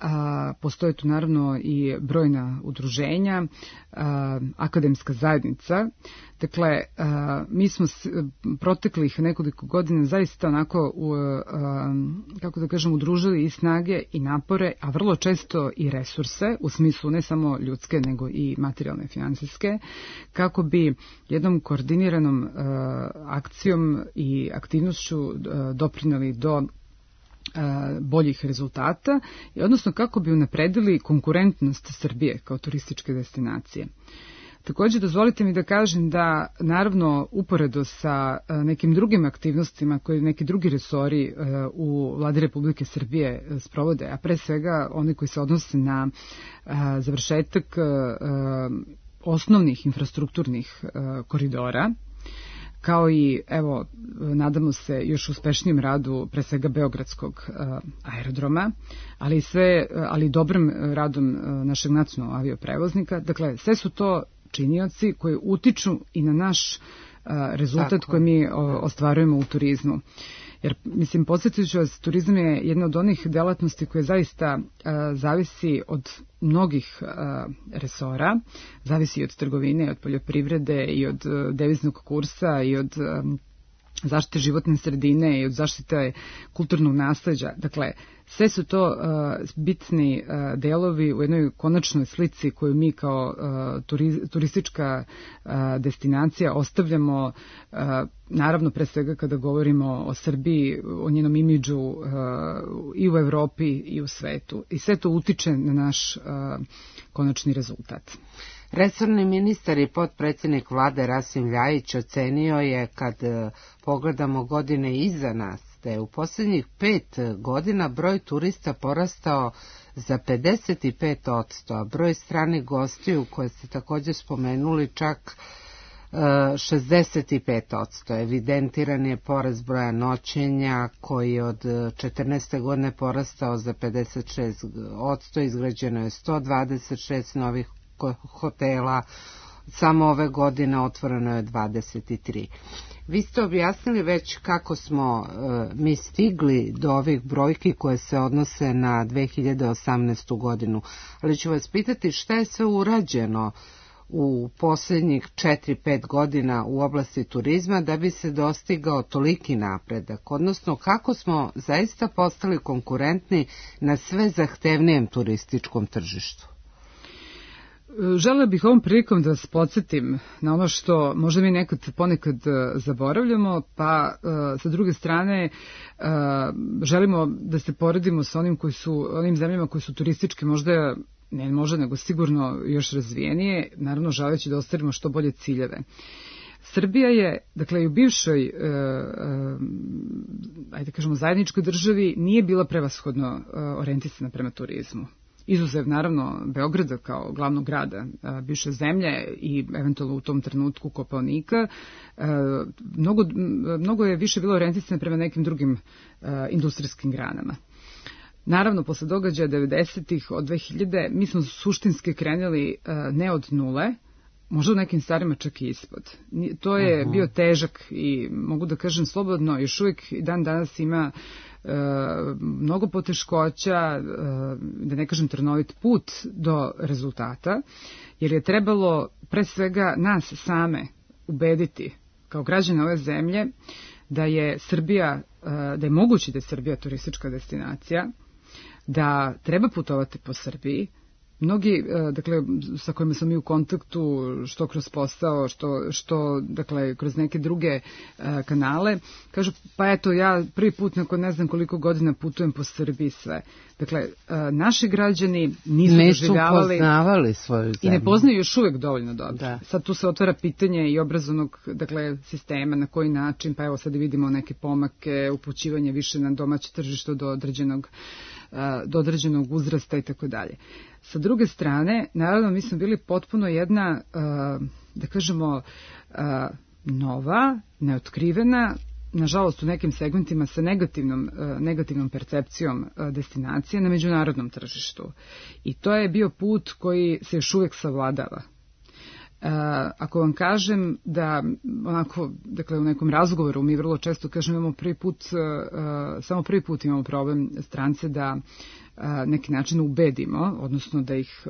A, postoje tu naravno i brojna udruženja, a, akademska zajednica. Dakle, a, mi smo s, proteklih nekoliko godina zaista onako, u, a, kako da kažem, udružili i snage i napore, a vrlo često i resurse, u smislu ne samo ljudske, nego i materijalne, finansijske, kako bi jednom koordiniranom a, akcijom i aktivnošću a, doprineli do boljih rezultata, odnosno kako bi unapredili konkurentnost Srbije kao turističke destinacije. Takođe, dozvolite mi da kažem da, naravno, uporedo sa nekim drugim aktivnostima koje neki drugi resori u Vladi Republike Srbije sprovode, a pre svega oni koji se odnose na završetak osnovnih infrastrukturnih koridora, kao i, evo, nadamo se još uspešnijem radu pre svega Beogradskog aerodroma, ali i sve, ali dobrim radom našeg nacionalnog avioprevoznika. Dakle, sve su to činioci koji utiču i na naš rezultat Tako. koji mi ostvarujemo u turizmu. Jer, mislim, podsjetit ću vas, turizam je jedna od onih delatnosti koje zaista a, zavisi od mnogih a, resora, zavisi i od trgovine, i od poljoprivrede, i od a, deviznog kursa, i od a, zaštite životne sredine, i od zaštite kulturnog nasleđa. Dakle, sve su to uh, bitni uh, delovi u jednoj konačnoj slici koju mi kao uh, turiz, turistička uh, destinacija ostavljamo, uh, naravno pre svega kada govorimo o Srbiji, o njenom imidžu uh, i u Evropi i u svetu. I sve to utiče na naš uh, konačni rezultat. Resorni ministar i potpredsjednik vlade Rasim Ljajić ocenio je, kad pogledamo godine iza nas, da je u posljednjih pet godina broj turista porastao za pedeset pet posto, a broj stranih gostiju, koje ste također spomenuli, čak šezdeset pet posto. Evidentiran je porast broja noćenja koji je od četrnaeste godine porastao za pedeset šest posto, izgrađeno je sto dvadeset šest novih hotela, samo ove godine otvoreno je dvadeset tri. Vi ste objasnili već kako smo e, mi stigli do ovih brojki koje se odnose na dve hiljade osamnaestu godinu, ali ću vas pitati šta je sve urađeno u posljednjih četiri pet godina u oblasti turizma da bi se dostigao toliki napredak, odnosno kako smo zaista postali konkurentni na sve zahtevnijem turističkom tržištu. Želela bih ovom prilikom da vas podsjetim na ono što možda mi nekad ponekad zaboravljamo, pa sa druge strane želimo da se poredimo sa onim koji su, onim zemljama koji su turistički možda, ne možda nego sigurno još razvijenije, naravno želeći da ostvarimo što bolje ciljeve. Srbija je, dakle, i u bivšoj, e, e, ajde kažemo, zajedničkoj državi nije bila prevashodno e, orijentisana prema turizmu. Izuzev, naravno, Beograda kao glavnog grada a, bivše zemlje i eventualno u tom trenutku Kopaonika, a, mnogo, mnogo je više bilo orijentisano prema nekim drugim a, industrijskim granama. Naravno, posle događaja devedesetih od dve hiljade mi smo suštinski krenuli a, ne od nule, možda u nekim stvarima čak i ispod. To je uh-huh. bio težak i mogu da kažem slobodno, još uvijek i dan danas ima e, mnogo poteškoća, e, da ne kažem trnovit put do rezultata, jer je trebalo pre svega nas same ubediti kao građane ove zemlje da je Srbija, e, da je moguće da je Srbija turistička destinacija, da treba putovati po Srbiji. Mnogi, dakle, sa kojima sam i u kontaktu, što kroz posao, što, što dakle, kroz neke druge uh, kanale, kažu, pa eto, ja prvi put nakon ne znam koliko godina putujem po Srbiji sve. Dakle, uh, naši građani nisu doživljavali... poznavali svoju zemlju. I ne poznaju još uvek dovoljno dobro. Da. Sad tu se otvara pitanje i obrazovnog, dakle, sistema, na koji način, pa evo sad vidimo neke pomake, upućivanje više na domaće tržište do određenog, uh, do određenog uzrasta i tako dalje. Sa druge strane, naravno, mi smo bili potpuno jedna, da kažemo, nova, neotkrivena, nažalost u nekim segmentima sa negativnom, negativnom percepcijom destinacije na međunarodnom tržištu. I to je bio put koji se još uvijek savladava. Ako vam kažem da, onako, dakle, u nekom razgovoru mi vrlo često kažem imamo prvi put, samo prvi put imamo problem strance da neki način ubedimo, odnosno da ih,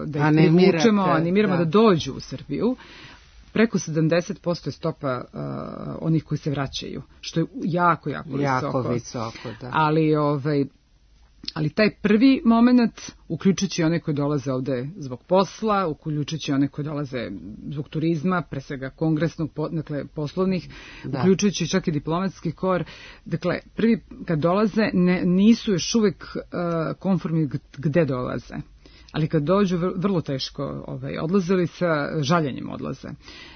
da ih privučemo, animiramo da. da dođu u Srbiju. Preko sedamdeset posto je stopa uh, onih koji se vraćaju, što je jako, jako, jako visoko. visoko da. Ali, ovaj, ali taj prvi moment, uključujući one koji dolaze ovde zbog posla, uključujući one koji dolaze zbog turizma, pre svega kongresnog, dakle poslovnih, da. uključujući čak i diplomatski kor, dakle prvi kad dolaze ne, nisu još uvek uh, konformni gde dolaze. ali kad dođu vrlo teško ovaj, odlaze ili sa žaljenjem odlaze.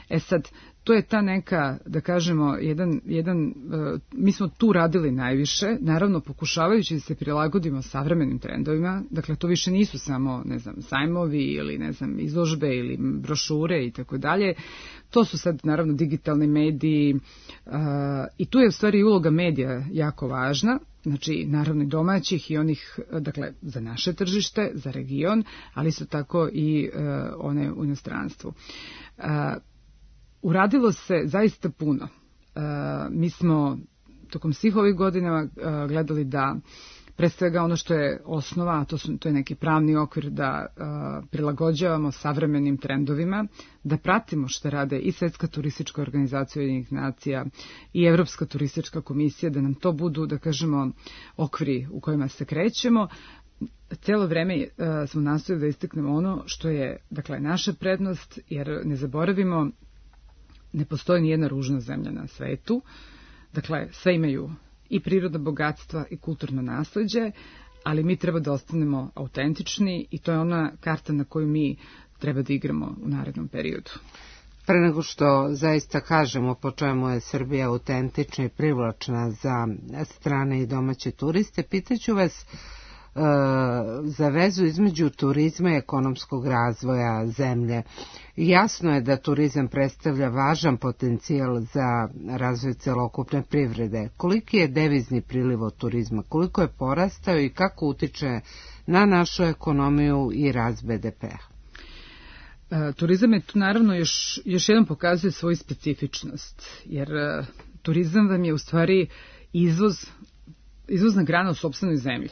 E sad, to je ta neka, da kažemo, jedan, jedan, uh, mi smo tu radili najviše, naravno pokušavajući da se prilagodimo savremenim trendovima, dakle to više nisu samo, ne znam, sajmovi ili, ne znam, izložbe ili brošure i tako dalje, to su sad, naravno, digitalni mediji uh, i tu je u stvari uloga medija jako važna, znači, naravno i domaćih i onih, dakle, za naše tržište, za region, ali isto tako i uh, one u inostranstvu. Uh, Uradilo se zaista puno. E, mi smo tokom svih ovih godina e, gledali da pre svega ono što je osnova, a to, su, to je neki pravni okvir, da e, prilagođavamo savremenim trendovima, da pratimo što rade i Svetska turistička organizacija Ujedinjenih nacija i Evropska turistička komisija, da nam to budu, da kažemo, okviri u kojima se krećemo. Cijelo vreme uh, smo nastojali da istaknemo ono što je, dakle, naša prednost, jer ne zaboravimo, ne postoji nijedna ružna zemlja na svetu. Dakle, sve imaju i prirodna bogatstva i kulturno nasleđe, ali mi treba da ostanemo autentični i to je ona karta na koju mi treba da igramo u narednom periodu. Pre nego što zaista kažemo po čemu je Srbija autentična i privlačna za strane i domaće turiste, pitaću vas e, za vezu između turizma i ekonomskog razvoja zemlje. Jasno je da turizam predstavlja važan potencijal za razvoj celokupne privrede. Koliki je devizni priliv od turizma, koliko je porastao i kako utiče na našu ekonomiju i rast be de pe-a? Turizam je tu naravno još, još jednom pokazuje svoju specifičnost, jer uh, turizam vam je u stvari izvoz, izvozna grana u sopstvenoj zemlji,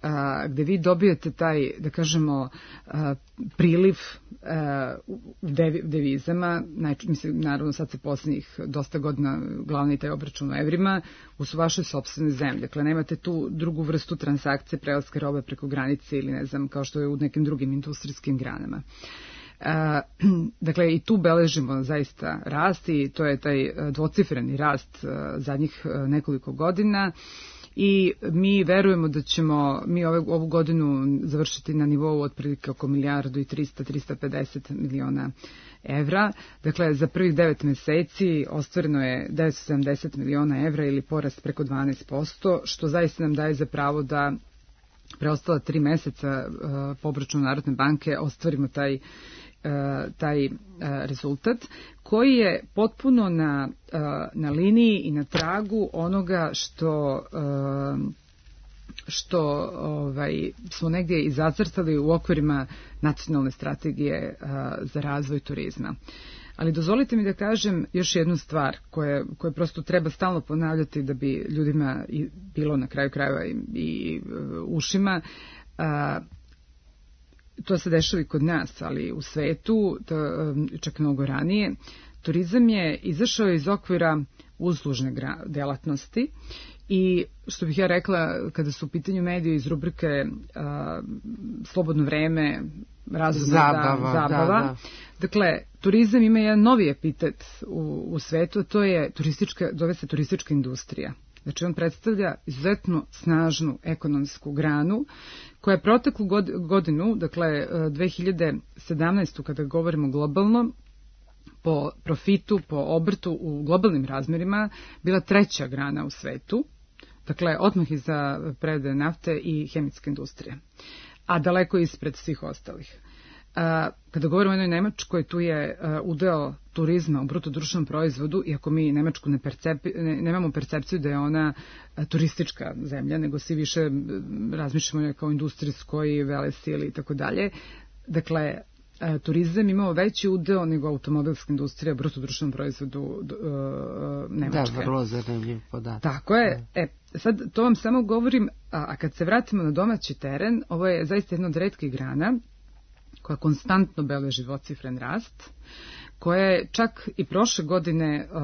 uh, gde vi dobijete taj, da kažemo, uh, priliv uh, u devi, devizama, najč, mislim, naravno sad se posljednjih dosta godina glavni taj obračun u evrima, u su vašoj sopstvenoj zemlji. Dakle, nemate tu drugu vrstu transakcije, prelaske robe preko granice ili ne znam, kao što je u nekim drugim industrijskim granama. Uh, dakle, i tu beležimo zaista rast i to je taj dvocifreni rast uh, zadnjih uh, nekoliko godina. I mi verujemo da ćemo mi ove, ovu godinu završiti na nivou otprilike oko milijardu i trista do trista pedeset miliona evra. Dakle, za prvih devet meseci ostvareno je devetsto sedamdeset miliona evra ili porast preko dvanaest posto, što zaista nam daje za pravo da preostala tri meseca uh, po obračunu Narodne banke ostvarimo taj taj rezultat koji je potpuno na, na liniji i na tragu onoga što što ovaj, smo negdje i zacrtali u okvirima nacionalne strategije za razvoj turizma. Ali dozvolite mi da kažem još jednu stvar koje, koje prosto treba stalno ponavljati da bi ljudima i bilo na kraju krajeva i, i ušima. To se dešava i kod nas, ali u svetu, to, čak mnogo ranije, turizam je izašao iz okvira uslužne delatnosti i, što bih ja rekla, kada su u pitanju mediji iz rubrike a, slobodno vreme, razumna zabava, da, zabava. Da, da. Dakle, turizam ima jedan novi epitet u, u svetu, a to je turistička, zove se turistička industrija. Znači, on predstavlja izuzetno snažnu ekonomsku granu koja je proteklu godinu, dakle dve hiljade sedamnaestu kada govorimo globalno, po profitu, po obrtu u globalnim razmerima, bila treća grana u svetu, dakle odmah iza prerade nafte i hemijske industrije, a daleko ispred svih ostalih. A, kada govorimo o jednoj Nemačkoj, tu je a, udeo turizma u bruto društvenom proizvodu, iako mi Nemačku ne, percepi, ne nemamo percepciju da je ona a, turistička zemlja, nego svi više razmišljamo je kao industrijskoj, velesili i tako dalje. Dakle, a, turizam imao veći udeo nego automobilska industrija u bruto društvenom proizvodu a, Nemačke. Da, vrlo zanimljiv podatak. Tako je. E, sad to vam samo govorim, a, a kad se vratimo na domaći teren, ovo je zaista jedna od retkih grana koja konstantno beleži dvocifren rast, koja je čak i prošle godine uh,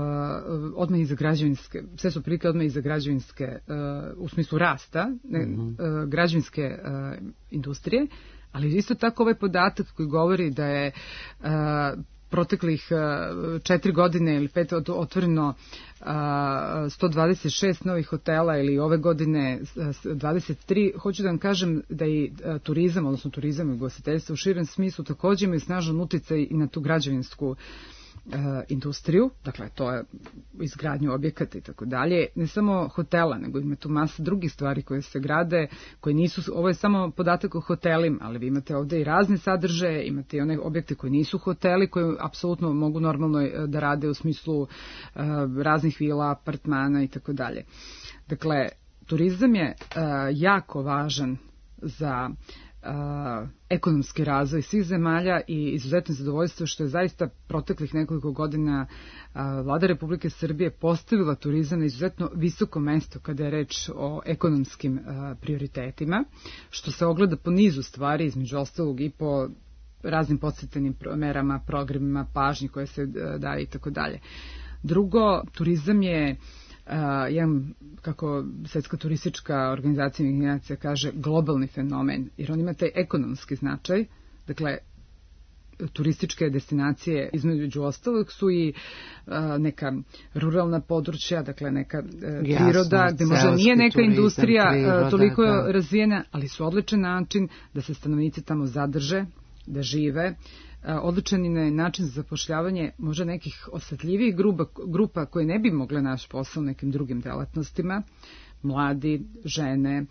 odmah iza građevinske, sve su prilike odmah iza građevinske, uh, u smislu rasta, ne, uh, građevinske uh, industrije, ali isto tako ovaj podatak koji govori da je uh, proteklih četiri godine ili pet otvoreno sto dvadeset šest novih hotela ili ove godine dvadeset tri. Hoću da vam kažem da i turizam, odnosno turizam i ugostiteljstvo u širem smislu također imaju snažan uticaj i na tu građevinsku industriju, dakle to je izgradnju objekata i tako dalje, ne samo hotela, nego ima tu masa drugih stvari koje se grade, koje nisu, ovo je samo podatak o hotelima, ali vi imate ovde i razne sadržaje, imate i one objekte koji nisu hoteli, koji apsolutno mogu normalno da rade u smislu uh, raznih vila, apartmana i tako dalje. Dakle, turizam je uh, jako važan za Uh, ekonomski razvoj svih zemalja i izuzetno zadovoljstvo što je zaista proteklih nekoliko godina uh, Vlada Republike Srbije postavila turizam na izuzetno visoko mesto kada je reč o ekonomskim uh, prioritetima, što se ogleda po nizu stvari, između ostalog i po raznim podsjetnim merama, programima, pažnji koje se uh, daje i tako dalje. Drugo, turizam je Uh, jedan, kako Svetska turistička organizacija kaže, globalni fenomen, jer on ima taj ekonomski značaj. Dakle, turističke destinacije između ostalog su i uh, neka ruralna područja, dakle neka uh, priroda, Jasno, gde možda nije neka turizam, industrija priroda, toliko da. razvijena, ali su odličan način da se stanovnici tamo zadrže, da žive. Odličan je način za zapošljavanje možda nekih osetljivih grupa, grupa koje ne bi mogle naš posao nekim drugim delatnostima, mladi, žene,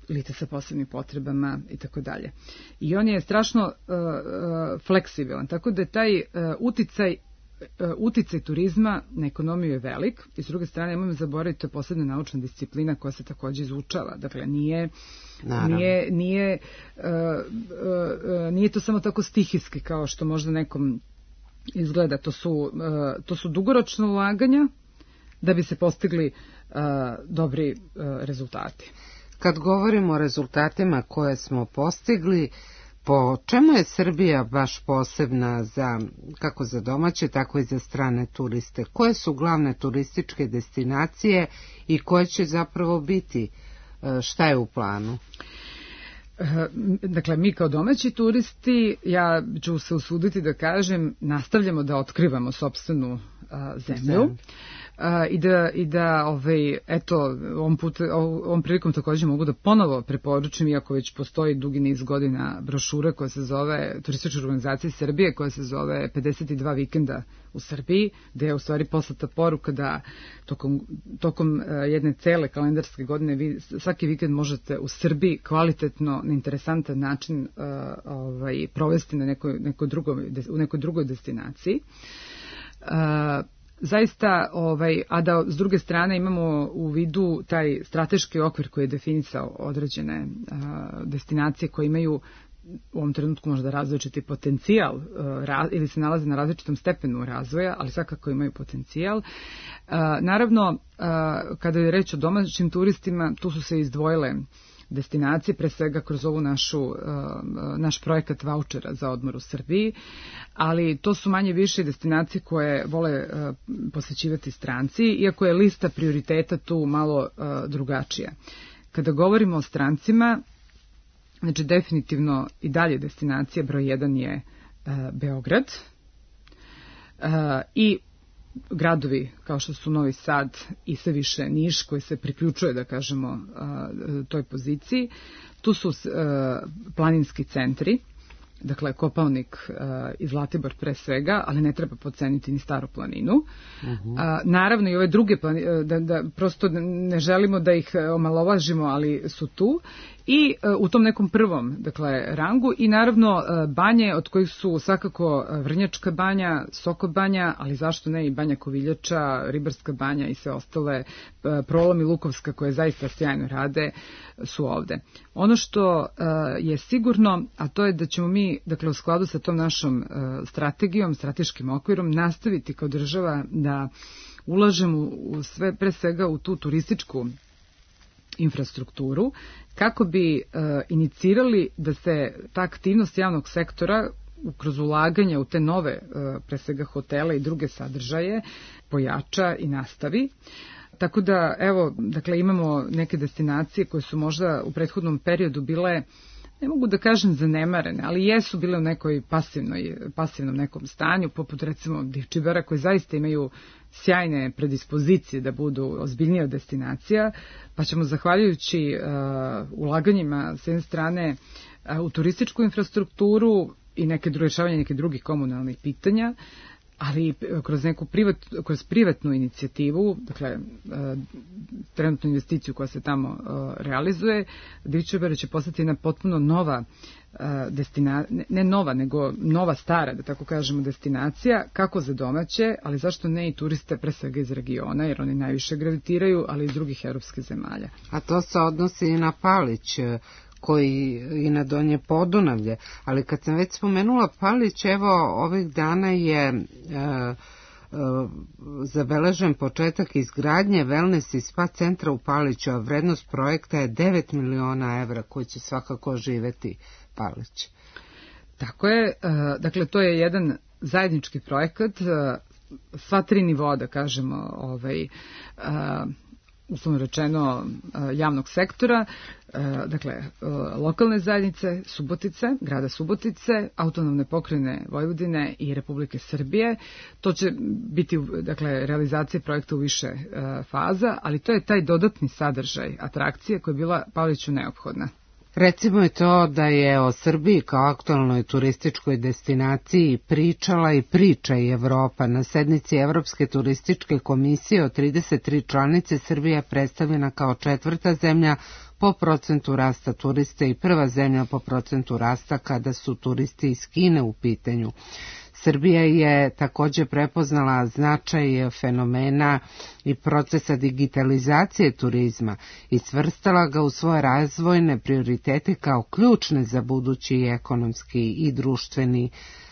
lice sa posebnim potrebama i tako dalje. I on je strašno uh, uh, fleksibilan, tako da je taj uh, uticaj uticaj turizma na ekonomiju je velik i s druge strane nemojmo zaboraviti, to je posebna naučna disciplina koja se također izučava. Dakle, nije, nije, nije, uh, uh, nije to samo tako stihijski kao što možda nekom izgleda. To su, uh, to su dugoročna ulaganja da bi se postigli uh, dobri uh, rezultati. Kad govorimo o rezultatima koje smo postigli, po čemu je Srbija baš posebna za, kako za domaće, tako i za strane turiste? Koje su glavne turističke destinacije i koje će zapravo biti? Šta je u planu? Dakle, mi kao domaći turisti, ja ću se usuditi da kažem, nastavljamo da otkrivamo sopstvenu a, zemlju. Zem. A, i da, i da ovaj, eto, ovom, put, ovom prilikom također mogu da ponovo preporučim, iako već postoji dugi niz godina brošura koja se zove Turistička organizacija Srbije, koja se zove pedeset dva vikenda u Srbiji, gde je u stvari poslata poruka da tokom, tokom jedne cele kalendarske godine vi svaki vikend možete u Srbiji kvalitetno, na interesantan način uh, ovaj, provesti na nekoj, nekoj drugoj, u nekoj drugoj destinaciji. Uh, Zaista, ovaj, a da s druge strane imamo u vidu taj strateški okvir koji je definisao određene a, destinacije koje imaju u ovom trenutku možda različiti potencijal a, raz, ili se nalaze na različitom stepenu razvoja, ali svakako imaju potencijal. A, naravno, a, kada je reč o domaćim turistima, tu su se izdvojile destinacije, pre svega kroz ovu našu, uh, naš projekat vaučera za odmor u Srbiji, ali to su manje više destinacije koje vole uh, posjećivati stranci, iako je lista prioriteta tu malo uh, drugačija. Kada govorimo o strancima, znači definitivno i dalje destinacija broj jedan je uh, Beograd uh, i gradovi kao što su Novi Sad i sve više Niš koji se priključuje, da kažemo, toj poziciji. Tu su planinski centri, dakle Kopaonik i Zlatibor pre svega, ali ne treba podceniti ni Staru planinu. Uh-huh. Naravno i ove druge planine, da, da prosto ne želimo da ih omalovažimo, ali su tu. I u tom nekom prvom, dakle, rangu i naravno banje od kojih su svakako Vrnjačka banja, Soko banja, ali zašto ne i Banja Koviljača, Ribarska banja i sve ostale, Prolom i Lukovska koje zaista sjajno rade su ovde. Ono što je sigurno, a to je da ćemo mi, dakle, u skladu sa tom našom strategijom, strateškim okvirom, nastaviti kao država da ulažemo u sve, pre svega u tu turističku infrastrukturu, kako bi e, inicirali da se ta aktivnost javnog sektora kroz ulaganja u te nove, e, pre svega hotele i druge sadržaje, pojača i nastavi. Tako da, evo, dakle, imamo neke destinacije koje su možda u prethodnom periodu bile ne mogu da kažem zanemarene, ali jesu bile u nekoj pasivnoj, pasivnom nekom stanju, poput recimo Divčibara, koji zaista imaju sjajne predispozicije da budu ozbiljnija destinacija, pa ćemo zahvaljujući uh, ulaganjima s jedne strane uh, u turističku infrastrukturu i neke rješavanje nekih drugih komunalnih pitanja, ali kroz neku privat, kroz privatnu inicijativu, dakle trenutnu investiciju koja se tamo realizuje, Divčibara će postati jedna potpuno nova destinacija, ne nova, nego nova stara, da tako kažemo, destinacija, kako za domaće, ali zašto ne i turiste, pre svega iz regiona, jer oni najviše gravitiraju, ali i iz drugih evropskih zemalja. A to se odnosi i na Palić, koji i na Donje Podunavlje, ali kad sam već spomenula Palić, evo ovih dana je e, e, zabeležen početak izgradnje wellness i spa centra u Paliću, a vrednost projekta je devet miliona evra koji će svakako živeti Palić. Tako je, e, dakle to je jedan zajednički projekat, e, sva tri nivoa, da kažemo, ovaj, e, uslovno rečeno javnog sektora, dakle lokalne zajednice Subotice, grada Subotice, autonomne pokrajine Vojvodine i Republike Srbije. To će biti, dakle, realizacija projekta u više faza, ali to je taj dodatni sadržaj atrakcije koja je bila Paliću neophodna. Recimo je to da je o Srbiji kao aktualnoj turističkoj destinaciji pričala i priča i Evropa. Na sednici Evropske turističke komisije od trideset tri članice Srbija je predstavljena kao četvrta zemlja po procentu rasta turista i prva zemlja po procentu rasta kada su turisti iz Kine u pitanju. Srbija je također prepoznala značaj fenomena i procesa digitalizacije turizma i svrstala ga u svoje razvojne prioritete kao ključne za budući ekonomski i društveni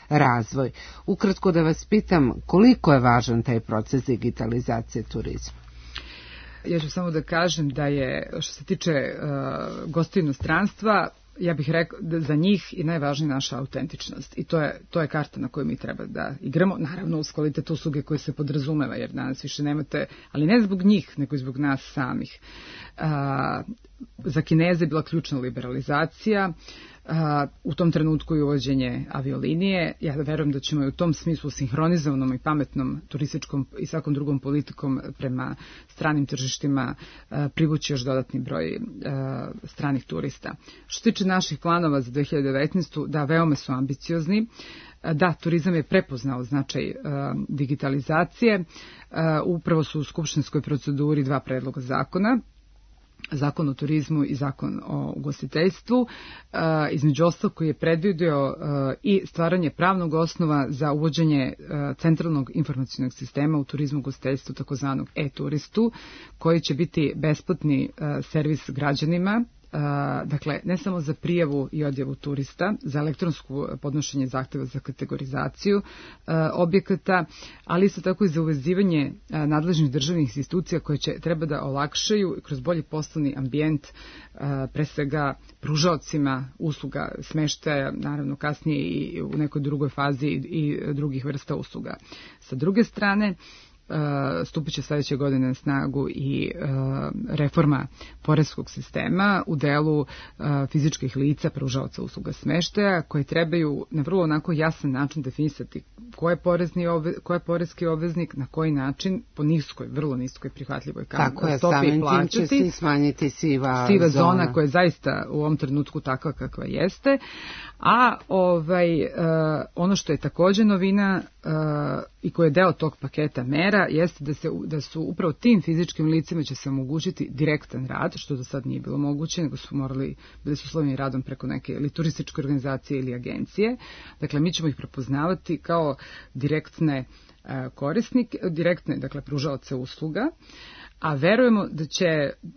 razvoj. Ukratko da vas pitam, koliko je važan taj proces digitalizacije turizma? Ja ću samo da kažem da je, što se tiče uh, gostiju inostranstva, ja bih rekao da za njih je najvažnija naša autentičnost i to je, to je karta na kojoj mi treba da igramo, naravno uz kvalitet usluge koje se podrazumeva, jer danas više nemate, ali ne zbog njih, nego i zbog nas samih. A, za Kineze je bila ključna liberalizacija, a, u tom trenutku i uvođenje aviolinije. Ja verujem da ćemo i u tom smislu sinhronizovanom i pametnom turističkom i svakom drugom politikom prema stranim tržištima a, privući još dodatni broj a, stranih turista. Što se tiče naših planova za dve hiljade devetnaestu. da, veoma su ambiciozni. Da, turizam je prepoznao značaj uh, digitalizacije. Uh, upravo su u skupštinskoj proceduri dva predloga zakona. Zakon o turizmu i zakon o ugostiteljstvu, uh, između ostalog koji je predvidio uh, i stvaranje pravnog osnova za uvođenje uh, centralnog informacionog sistema u turizmu i ugostiteljstvu, takozvanog e-turistu, koji će biti besplatni uh, servis građanima. Uh, dakle, ne samo za prijavu i odjavu turista, za elektronsko podnošenje zahteva za kategorizaciju uh, objekata, ali isto tako i za uvezivanje uh, nadležnih državnih institucija koje će treba da olakšaju kroz bolji poslovni ambijent uh, pre svega pružaocima usluga smeštaja, naravno kasnije i u nekoj drugoj fazi i, i drugih vrsta usluga. Sa druge strane, stupit će sledeće godine na snagu i uh, reforma poreskog sistema u delu uh, fizičkih lica pružaoca usluga smeštaja, koji trebaju na vrlo onako jasan način definisati ko je, porezni obve, ko je poreski obveznik, na koji način, po niskoj, vrlo niskoj prihvatljivoj kamatnoj stopi plaćati. Će se smanjiti siva, siva zona. zona koja je zaista u ovom trenutku takva kakva jeste. A ovaj, uh, ono što je također novina uh, i koje je deo tog paketa mera jeste da, se, da su upravo tim fizičkim licima će se omogućiti direktan rad, što do sad nije bilo moguće, nego su morali, bili su uslovljeni radom preko neke ili turističke organizacije ili agencije. Dakle, mi ćemo ih prepoznavati kao direktne uh, korisnike, direktne, dakle, pružaoce usluga. A verujemo da će,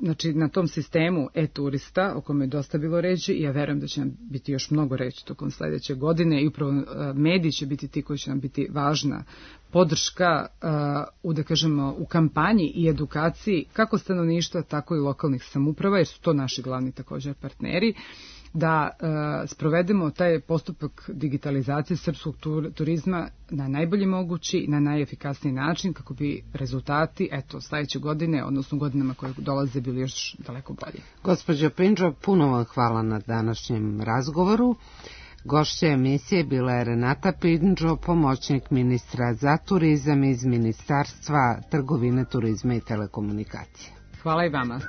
znači, na tom sistemu e-turista, o kome je dosta bilo reći, i ja verujem da će nam biti još mnogo reći tokom sledeće godine i upravo uh, mediji će biti ti koji će nam biti važna podrška uh, u, da kažemo, u kampanji i edukaciji kako stanovništva, tako i lokalnih samouprava, jer su to naši glavni također partneri. da e, sprovedemo taj postupak digitalizacije srpskog tur, turizma na najbolji mogući, na najefikasniji način, kako bi rezultati, eto, sledeće godine, odnosno godinama koje dolaze, bili još daleko bolji. Gospođo Pindžo, puno vam hvala na današnjem razgovoru. Gošća emisije bila je Renata Pindžo, pomoćnik ministra za turizam iz Ministarstva trgovine, turizma i telekomunikacije. Hvala i vama.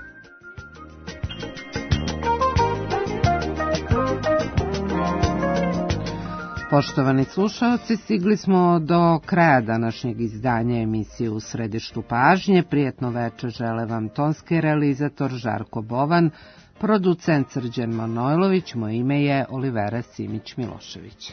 Poštovani slušalci, stigli smo do kraja današnjeg izdanja emisije U središtu pažnje. Prijetno večer žele vam tonski realizator Žarko Bovan, producent Srđan Manojlović, moje ime je Olivera Simić-Milošević.